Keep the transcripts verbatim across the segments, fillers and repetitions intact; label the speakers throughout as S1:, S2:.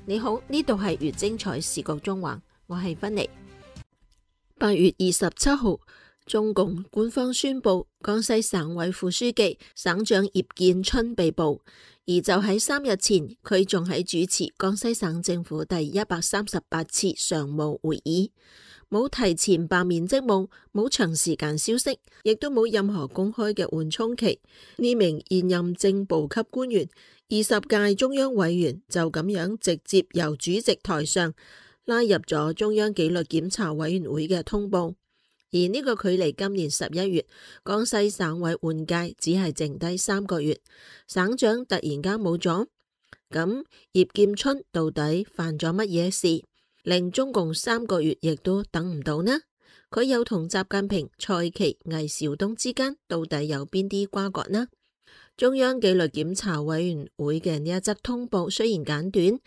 S1: 你好，呢度係粵精彩視覺中環，我係芬妮。八月二十七號，中共官方宣布江西省委副書記、省長葉建春被捕，而就喺三日前，佢仲喺主持江西省政府第一百三十八次常務會議，冇提前罷免職務，冇長時間消息，亦都冇任何公開嘅緩衝期。呢名現任正部級官員、二十屆中央委員就咁樣直接由主席台上拉入咗中央紀律檢查委員會嘅通報。而呢個距離今年十一月江西省委換屆只係剩低三個月，省長突然間冇咗，咁葉建春到底犯咗乜嘢事，令中共三個月亦都等唔到呢？佢又同習近平、蔡奇、魏紹東之間到底有邊啲瓜葛呢？中央紀律檢查委員會嘅呢一則通報雖然簡短，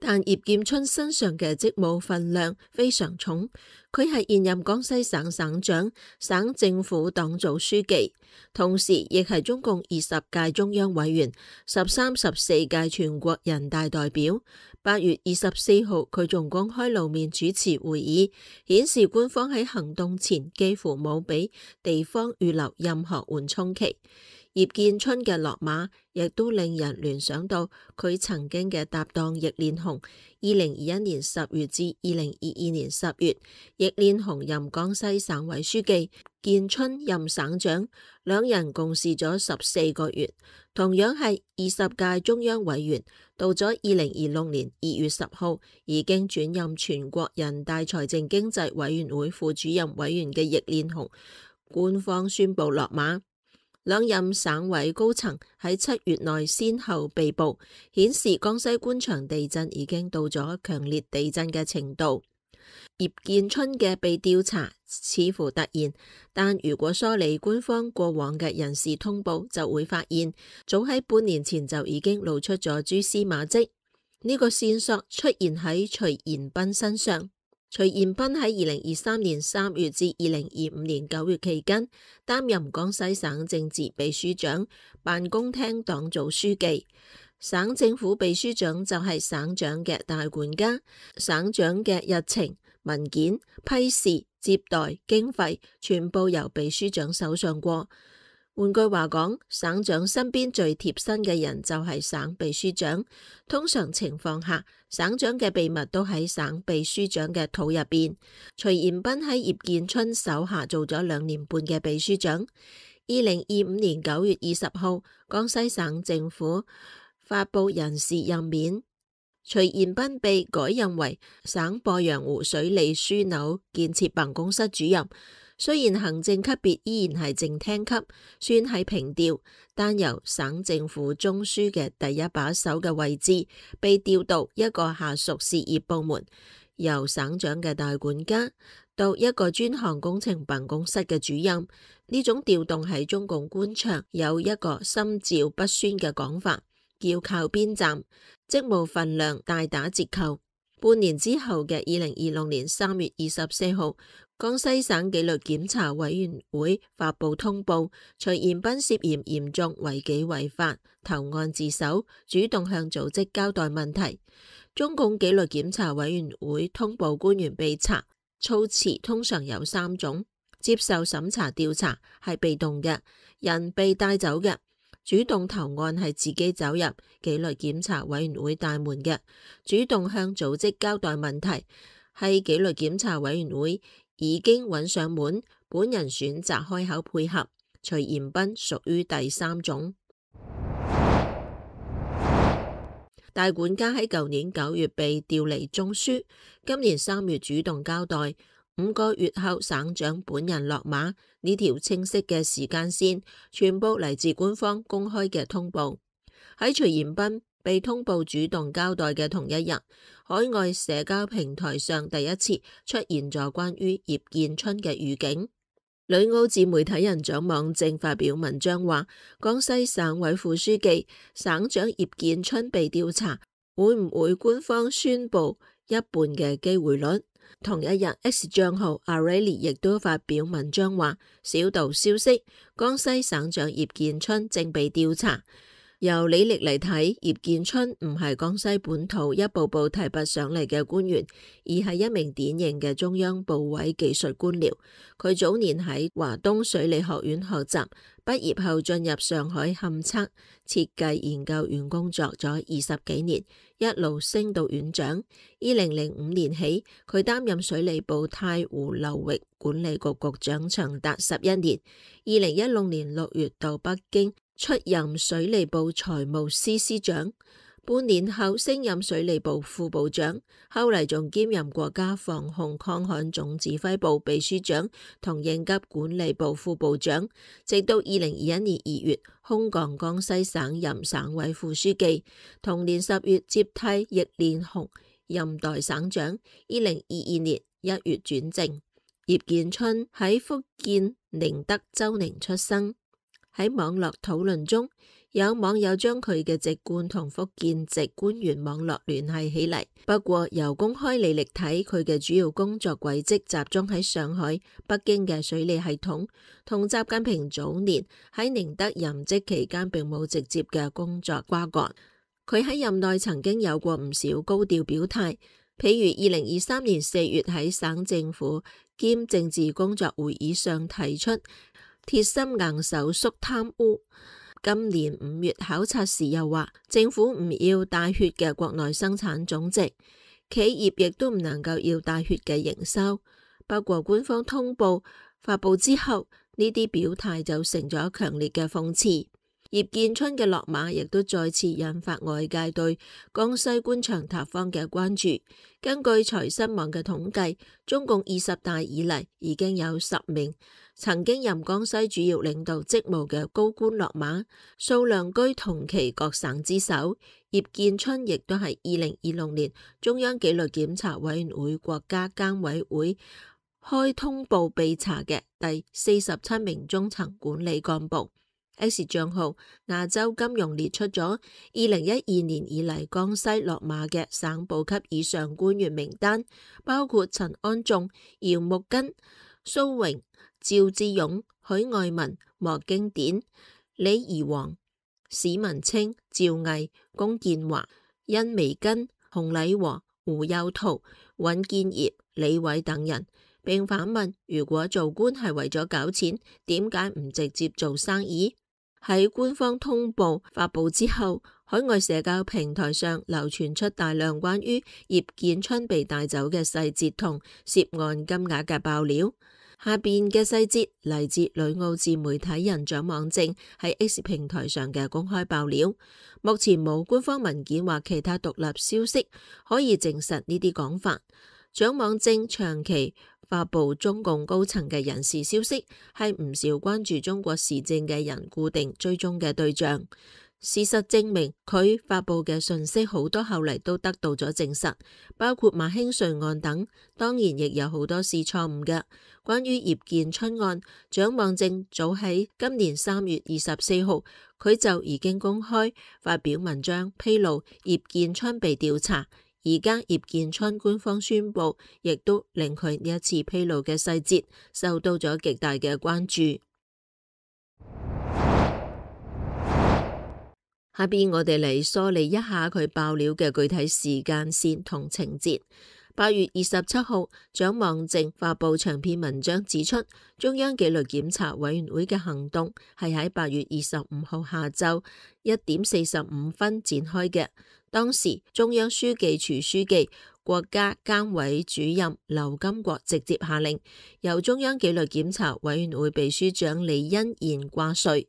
S1: 但葉建春身上嘅職務分量非常重。佢係現任江西省省長、省政府黨組書記，同時亦係中共二十屆中央委員、十三、十四屆全國人大代表。八月二十四號，佢仲公開露面主持會議，顯示官方喺行動前幾乎冇俾地方預留任何緩衝期。葉建春嘅落馬，亦都令人聯想到佢曾經嘅搭檔易煉紅。二零二一年十月至二零二二年十月，易煉紅任江西省委書記，建春任省長，兩人共事咗十四個月。同樣係二十屆中央委員，到咗二零二六年二月十號，已經轉任全國人大財政經濟委員會副主任委員嘅易煉紅，官方宣布落馬。兩任省委高層喺七月內先後被捕，顯示江西官場地震已經到咗強烈地震嘅程度。葉建春嘅被調查似乎突然，但如果梳理官方過往嘅人事通報，就會發現早喺半年前就已經露出咗蛛絲馬跡。呢、這個線索出現喺徐延斌身上。徐延斌喺二零二三年三月至二零二五年九月期間擔任江西省政治秘書長、辦公廳黨組書記。省政府秘書長就係省長嘅大管家，省長嘅日程、文件、批示、接待、經費全部由秘書長手上過。換句話講，省長身邊最貼身嘅人就係省秘書長。通常情況下，省長嘅秘密都喺省秘書長嘅肚入邊。徐延斌喺葉建春手下做咗兩年半嘅秘書長。二零二五年九月二十號，江西省政府發布人事任免，徐延斌被改任為省鄱陽湖水利樞紐建設辦公室主任。雖然行政級別依然係正廳級，算係平調，但由省政府中樞嘅第一把手嘅位置，被調到一個下屬事業部門，由省長嘅大管家到一個專項工程辦公室嘅主任。呢種調動喺中共官場有一個心照不宣嘅講法，叫靠邊站，職務分量大打折扣。半年之後嘅二零二六年三月二十四號，江西省紀律檢查委員會發布通報，徐延斌涉嫌嚴重違紀違法，投案自首，主動向組織交代問題。中共紀律檢查委員會通報官員被查，措辭通常有三種：接受審查調查係被動嘅，人被帶走嘅；主動投案係自己走入紀律檢查委員會大門嘅；主動向組織交代問題係紀律檢查委員會已經揾上門，本人選擇開口配合。徐延斌屬於第三種。大管家喺舊年九月被調離中樞，今年三月主動交代，五個月後省長本人落馬。呢條清晰嘅時間線，全部嚟自官方公開嘅通報。喺徐延斌被通報主動交代嘅同一日，海外社交平台上第一次出現咗關於葉建春嘅預警。旅澳自媒體人蔣網正發表文章話，江西省委副書記、省長葉建春被調查，會唔會官方宣布一半嘅機會率？同一日 ，X 賬號 Areli 亦都發表文章話，小道消息，江西省長葉建春正被調查。由履歷嚟睇，葉建春唔係江西本土一步步提拔上嚟嘅官員，而係一名典型嘅中央部委技術官僚。佢早年喺華東水利學院學習，畢業後進入上海勘測設計研究院工作咗二十幾年，一路升到院長。二零零五年起，佢擔任水利部太湖流域管理局局長，長達十一年。二零一六年六月到北京出任水利部財務司司長，半年後升任水利部副部長，後嚟仲兼任國家防控抗旱總指揮部秘書長同應急管理部副部長，直到二零二一年二月空降江西省任省委副書記，同年十月接替易連紅任代省長。二零二二年一月轉正。葉建春喺福建寧德州寧出生。喺網絡討論中，有網友將佢嘅籍貫同福建籍官員網絡聯繫起嚟。不過由公開履歷睇，佢嘅主要工作軌跡集中喺上海、北京嘅水利系統，同習近平早年喺寧德任職期間並冇直接嘅工作瓜葛。佢喺任內曾經有過唔少高調表態，譬如二零二三年四月喺省政府兼政治工作會議上提出鐵心硬手肅貪污。今年五月考察時又話，政府唔要帶血嘅國內生產總值，企業亦都唔能夠要帶血嘅營收。不過官方通報發佈之後，呢啲表態就成咗強烈嘅諷刺。葉建春嘅落馬亦都再次引發外界對江西官場塌方嘅關注。根據財新網嘅統計，中共二十大以嚟已經有十名曾經任江西主要領導職務嘅高官落馬，數量居同期各省之首。葉建春亦都係二零二六年中央紀律檢查委員會國家監委會開通報被查嘅第四十七名中層管理幹部。X 賬號亞洲金融列出咗二零一二年以嚟江西落馬嘅省部級以上官員名單，包括陳安仲、姚木根、蘇榮、趙志勇、許愛民、莫經典、李宜煌、史文清、趙毅、龔建華、殷薇根、洪禮和、胡幼圖、尹建業、李偉等人，並反問：如果做官係為咗搞錢，點解唔直接做生意？喺官方通報發佈之後，海外社交平台上流傳出大量關於葉建春被帶走嘅細節同涉案金額嘅爆料。下邊嘅細節嚟自旅澳自媒體人蔣網正喺 X 平台上嘅公開爆料。目前冇官方文件或其他獨立消息可以證實呢啲講法。蔣網正長期發佈中共高層嘅人事消息，係唔少關注中國時政嘅人固定追蹤嘅對象。事實證明，佢發佈嘅信息好多後嚟都得到咗證實，包括馬興瑞案等。當然亦有好多是錯誤嘅。關於葉建春案，蔣網正早喺今年三月二十四號，佢就已經公開發表文章披露葉建春被調查。而家葉建春官方宣布，亦都令佢呢一次披露嘅細節受到咗極大嘅關注。下邊我哋嚟梳理一下佢爆料嘅具體時間線同情節。八月二十七號，蔣網正發佈長篇文章指出，中央紀律檢查委員會嘅行動係喺八月二十五號下晝一點四十五分展開嘅。當時中央書記處書記、國家監委主任劉金國直接下令，由中央紀律檢查委員會秘書長李欣賢掛帥，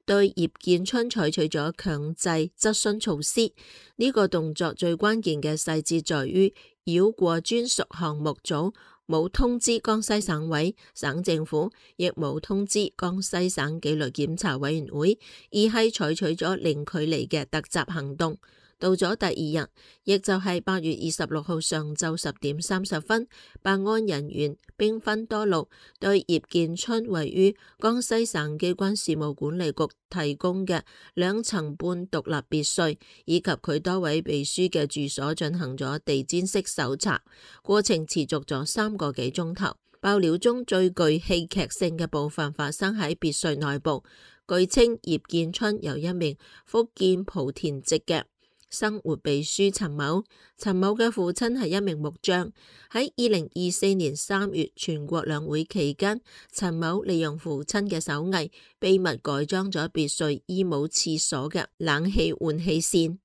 S1: 對葉建春採取咗強制質詢措施。呢、這個動作最關鍵嘅細節在於繞過專屬項目組，冇通知江西省委、省政府，亦冇通知江西省紀律檢查委員會，而係採取咗零距離嘅突襲行動。到咗第二日，亦就係八月二十六號上晝十點三十分，辦案人員兵分多路，對葉建春位於江西省機關事務管理局提供嘅兩層半獨立別墅以及佢多位秘書嘅住所進行咗地毯式搜查，過程持續咗三個幾鐘頭。爆料中最具戲劇性嘅部分發生喺別墅內部，據稱葉建春由一名福建莆田籍嘅生活秘書陳某，陳某嘅父親係一名木匠。喺二零二四年三月全國兩會期間，陳某利用父親嘅手藝，秘密改裝咗別墅衣帽廁所嘅冷氣換氣扇，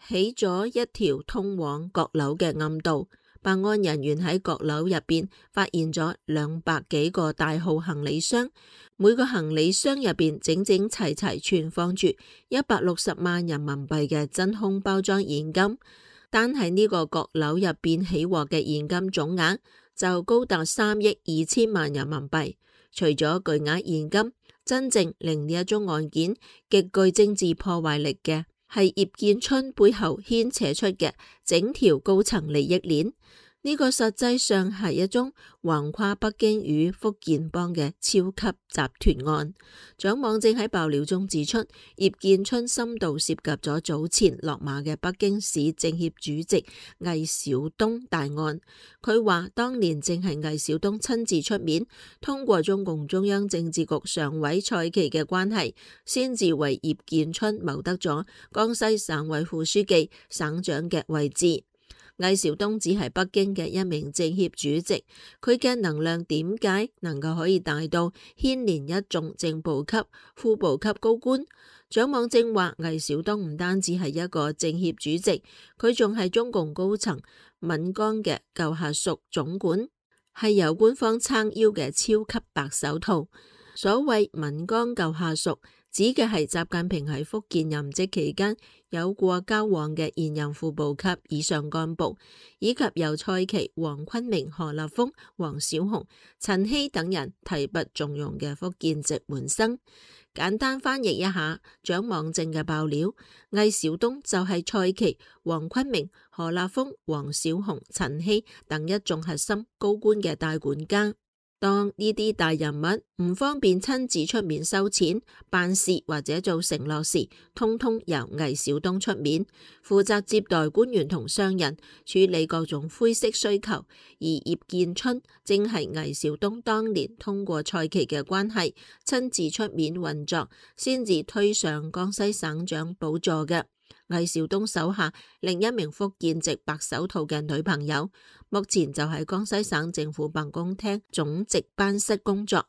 S1: 起咗一條通往閣樓嘅暗道。辦案人員喺閣樓入邊發現咗兩百幾個大號行李箱，每個行李箱入邊整整齊齊存放住一百六十萬人民幣嘅真空包裝現金。單係呢個閣樓入邊起獲嘅現金總額就高達三億二千萬人民幣。除咗巨額現金，真正令呢一宗案件極具政治破壞力嘅係葉建春背後牽扯出嘅整條高層利益鏈。呢個實際上係一宗橫跨北京與福建幫嘅超級集團案。蔣網正喺爆料中指出，葉建春深度涉及咗早前落馬嘅北京市政協主席魏小東大案。佢話當年正係魏小東親自出面，通過中共中央政治局常委蔡奇嘅關係，先至為葉建春謀得咗江西省委副書記、省長嘅位置。魏小東只係北京嘅一名政協主席，佢嘅能量點解能夠可以大到牽連一眾正部級、副部級高官？蔣網正話，魏小東唔單止係一個政協主席，佢仲係中共高層岷江嘅舊下屬總管，係由官方撐腰嘅超級白手套。所謂岷江舊下屬，指嘅係習近平喺福建任職期間有過交往嘅現任副部級以上幹部，以及由蔡奇、黃坤明、何立峰、黃小紅、陳希等人提拔重用嘅福建籍門生。簡單翻譯一下蔣網正嘅爆料，魏小東就係蔡奇、黃坤明、何立峰、黃小紅、陳希等一眾核心高官嘅大管家。當呢啲大人物唔方便親自出面收錢、辦事或者做承諾時，通通由魏小東出面，負責接待官員同商人，處理各種灰色需求。而葉建春正係魏小東當年通過蔡奇嘅關係，親自出面運作，先至推上江西省長寶座嘅。魏小東手下另一名福建籍白手套嘅女朋友，目前就喺江西省政府辦公廳總值班室工作。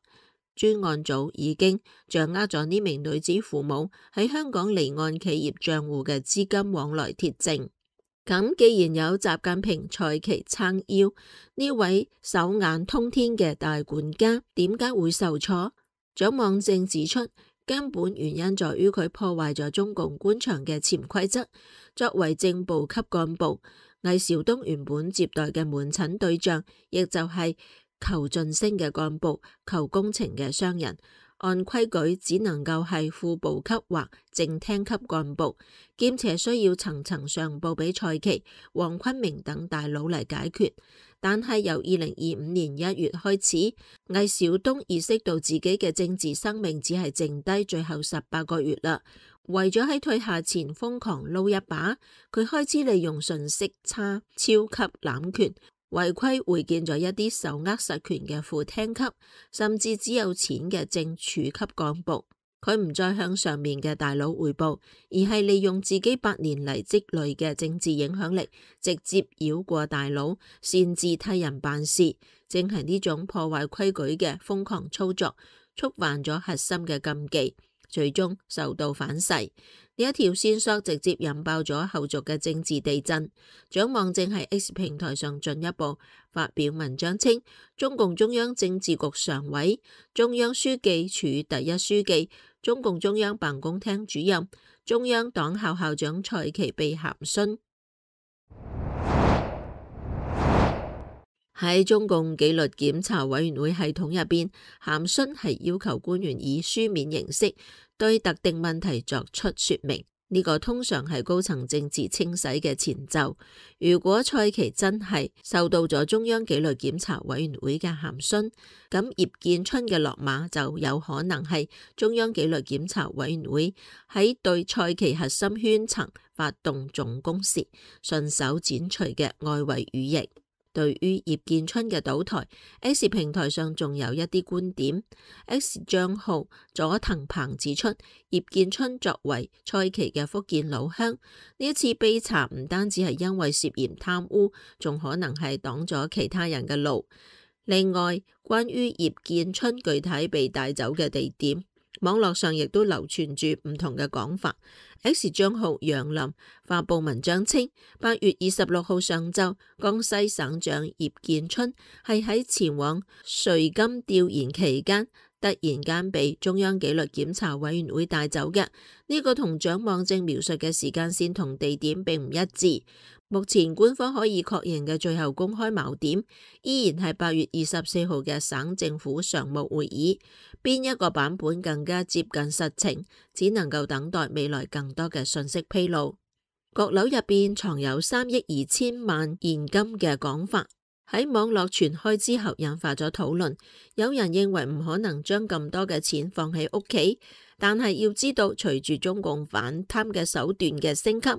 S1: 專案組已經掌握咗呢名女子父母喺香港離岸企業賬戶嘅資金往來鐵證。咁既然有習近平、蔡奇撐腰，呢位手眼通天嘅大管家點解會受挫？蔣網正指出，根本原因在於佢破壞咗中共官場嘅潛規則。作為正部級幹部，魏小東原本接待嘅門診對象，亦就係求晉升嘅幹部、求工程嘅商人。按規矩只能夠係副部級或正廳級幹部，兼且需要層層上報俾蔡奇、黃坤明等大佬嚟解決。但係由二零二五年一月開始，魏小東意識到自己嘅政治生命只係剩低最後十八個月啦，為咗喺退下前瘋狂撈一把，佢開始利用信息差、超級攬權，違規會見咗一啲手握實權嘅副廳級，甚至只有錢嘅正處級幹部。佢唔再向上面嘅大佬匯報，而係利用自己百年嚟積累嘅政治影響力，直接繞過大佬，擅自替人辦事。正係呢種破壞規矩嘅瘋狂操作，觸犯咗核心嘅禁忌，最終受到反噬。呢一條線索直接引爆咗後續嘅政治地震。蔣網正喺 X 平台上進一步發表文章稱，中共中央政治局常委、中央書記處第一書記、中共中央辦公廳主任、中央黨校校長蔡奇被函詢。喺中共紀律檢查委員會系統入邊，函詢係要求官員以書面形式對特定問題作出說明。呢個通常係高層政治清洗嘅前奏。如果蔡奇真係受到咗中央紀律檢查委員會嘅函詢，咁葉建春嘅落馬就有可能係中央紀律檢查委員會喺對蔡奇核心圈層發動總攻時順手剪除嘅外圍羽翼。對於葉建春嘅倒台 ，X 平台上仲有一啲觀點。X 賬號佐藤鵬指出，葉建春作為蔡奇嘅福建老鄉，呢一次被查唔單止係因為涉嫌貪污，仲可能係擋咗其他人嘅路。另外，關於葉建春具體被帶走嘅地點，網絡上亦都流傳住唔同嘅講法。X 賬號楊林發佈文章稱，八月二十六號上晝，江西省長葉建春係喺前往瑞金調研期間，突然間被中央紀律檢查委員會帶走嘅。呢、這個同蔣網正描述嘅時間線同地點並唔一致。目前官方可以確認嘅最後公開錨點，依然係八月二十四號嘅省政府常務會議。邊一個版本更加接近實情，只能夠等待未來更多嘅信息披露。閣樓入邊藏有三億二千萬現金嘅講法，喺網絡傳開之後引發咗討論。有人認為唔可能將咁多嘅錢放喺屋企，但係要知道，隨住中共反貪嘅手段嘅升級，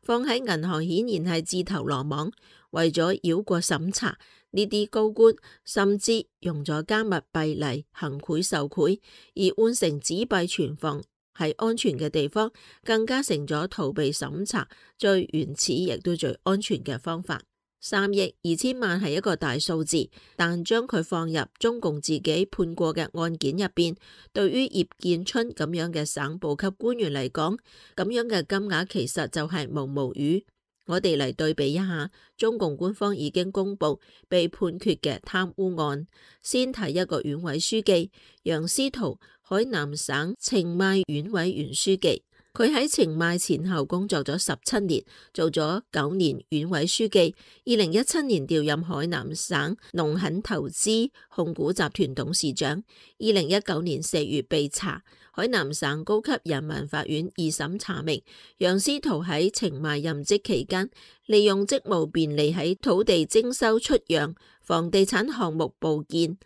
S1: 放喺銀行顯然係自投羅網。為咗繞過審查，呢啲高官甚至用咗加密幣嚟行賄受賄，而換成紙幣存放喺安全嘅地方，更加成咗逃避審查最原始亦都最安全嘅方法。三億二千萬係一個大數字，但將佢放入中共自己判過嘅案件入邊，對於葉建春咁樣嘅省部級官員嚟講，咁樣嘅金額其實就係毛毛雨。我哋嚟對比一下，中共官方已經公布被判決嘅貪污案。先睇一個縣委書記楊思圖，海南省澄邁縣委原書記。佢喺澄邁前後工作咗十七年，做咗九年縣委書記。二零一七年調任海南省農墾投資控股集團董事長。二零一九年四月被查，海南省高級人民法院二審查明，楊思圖喺澄邁任職期間，利用職務便利喺土地徵收出讓、房地產項目報建、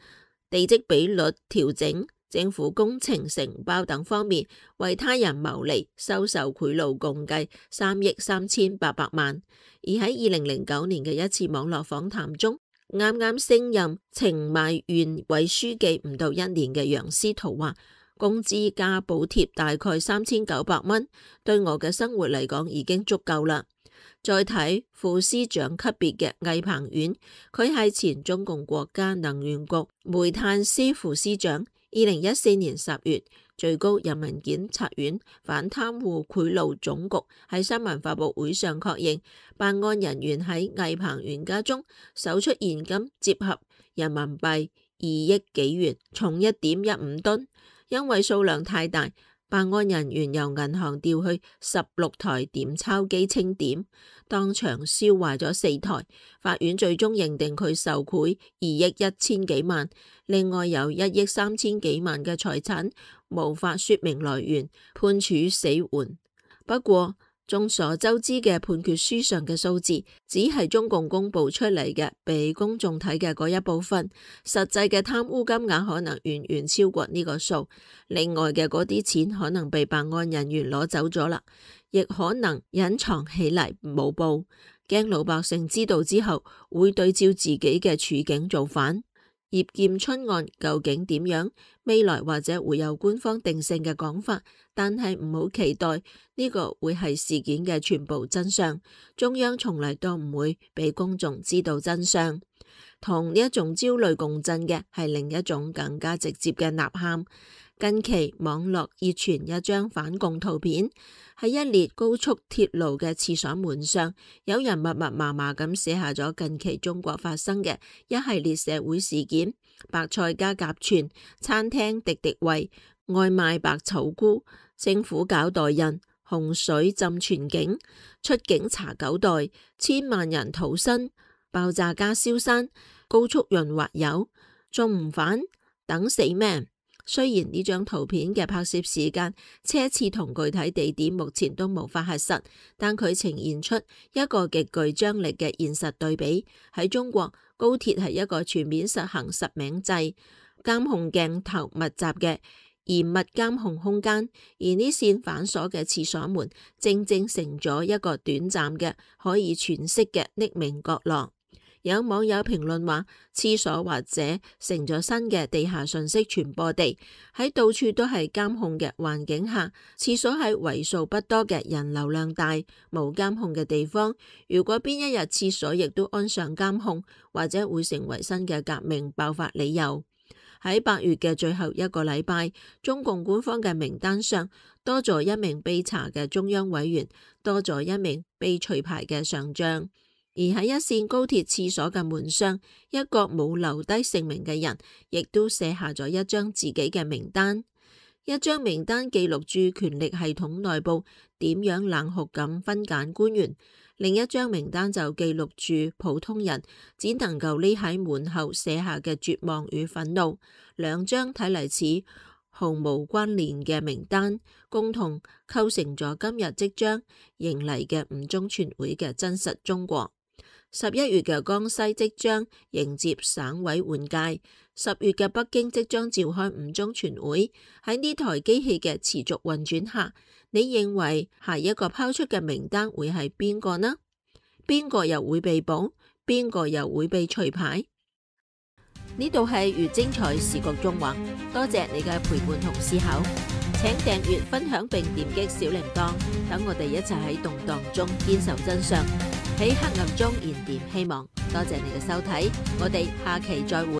S1: 地積比率調整、政府工程承包等方面為他人牟利，收受賄賂共計三億三千八百萬。而喺二零零九年嘅一次網絡訪談中，啱啱升任澄邁縣委書記唔到一年嘅楊思圖話，工資加補貼大概三千九百蚊，對我嘅生活嚟講已經足夠啦。再睇副司長級別嘅魏鵬遠，佢係前中共國家能源局煤炭司副司長。二零一四年十月，最高人民檢察院反貪污賄賂總局喺新聞發佈會上確認，辦案人員喺魏鵬遠家中搜出現金折合人民幣二億幾元，重一點一五噸。因為數量太大，辦案人員由銀行調去十六台點鈔機清點，當場燒壞咗四台。法院最終認定佢受賄二億一千幾萬，另外有一億三千幾萬嘅財產無法說明來源，判處死緩。不過，眾所周知嘅判決書上嘅數字，只係中共公布出嚟嘅俾公眾睇嘅嗰一部分，實際嘅貪污金額可能遠遠超過呢個數。另外嘅嗰啲錢可能被辦案人員攞走咗啦，亦可能隱藏起嚟冇報，驚老百姓知道之後會對照自己嘅處境造反。葉建春案究竟點樣？未來或者會有官方定性嘅講法，但係唔好期待呢個會係事件嘅全部真相。中央從嚟都唔會俾公眾知道真相。同呢一種焦慮共振嘅係另一種更加直接嘅吶喊。近期網絡熱傳一張反共圖片，喺一列高速鐵路嘅廁所門上，有人密密麻麻咁寫下咗近期中國發生嘅一系列社會事件：白菜加鴿串、餐廳滴滴位、外賣白草菇、政府搞代印、洪水浸全境、出境查九代、千萬人逃生、爆炸加燒山、高速潤滑油、仲唔返？等死咩？雖然呢張圖片嘅拍攝時間、車次同具體地點目前都無法核實，但佢呈現出一個極具張力嘅現實對比。喺中國，高鐵係一個全面實行實名制、監控鏡頭密集嘅嚴密監控空間，而呢扇反鎖嘅廁所門正正成咗一個短暫嘅可以詮釋嘅匿名角落。有網友評論話，廁所或者成咗新嘅地下信息傳播地，喺到處都係監控嘅環境下，廁所喺為數不多嘅人流量大、冇監控嘅地方，如果邊一日廁所亦都安上監控，或者會成為新嘅革命爆發理由。喺八月嘅最後一個禮拜，中共官方嘅名單上多咗一名被查嘅中央委員，多咗一名被除牌嘅上將。而喺一線高鐵廁所嘅門上，一個冇留低姓名嘅人，亦都寫下咗一張自己嘅名單。一張名單記錄住權力系統內部點樣冷酷咁分揀官員，另一張名單就記錄住普通人只能夠匿喺門後寫下嘅絕望與憤怒。兩張睇嚟似毫無關聯嘅名單，共同構成咗今日即將迎嚟嘅五中全會嘅真實中國。十一月嘅江西即將迎接省委換屆，十月嘅北京即將召開五中全會。喺呢台機器嘅持續運轉下，你認為下一個拋出嘅名單會係邊個呢？邊個又會被捕？邊個又會被除牌？呢度係越精彩視覺縱橫，多謝你嘅陪伴同思考，請訂閱、分享並點擊小鈴鐺，等我哋一齊喺動盪中堅守真相，喺黑暗中燃點希望。多謝你嘅收睇，我哋下期再會。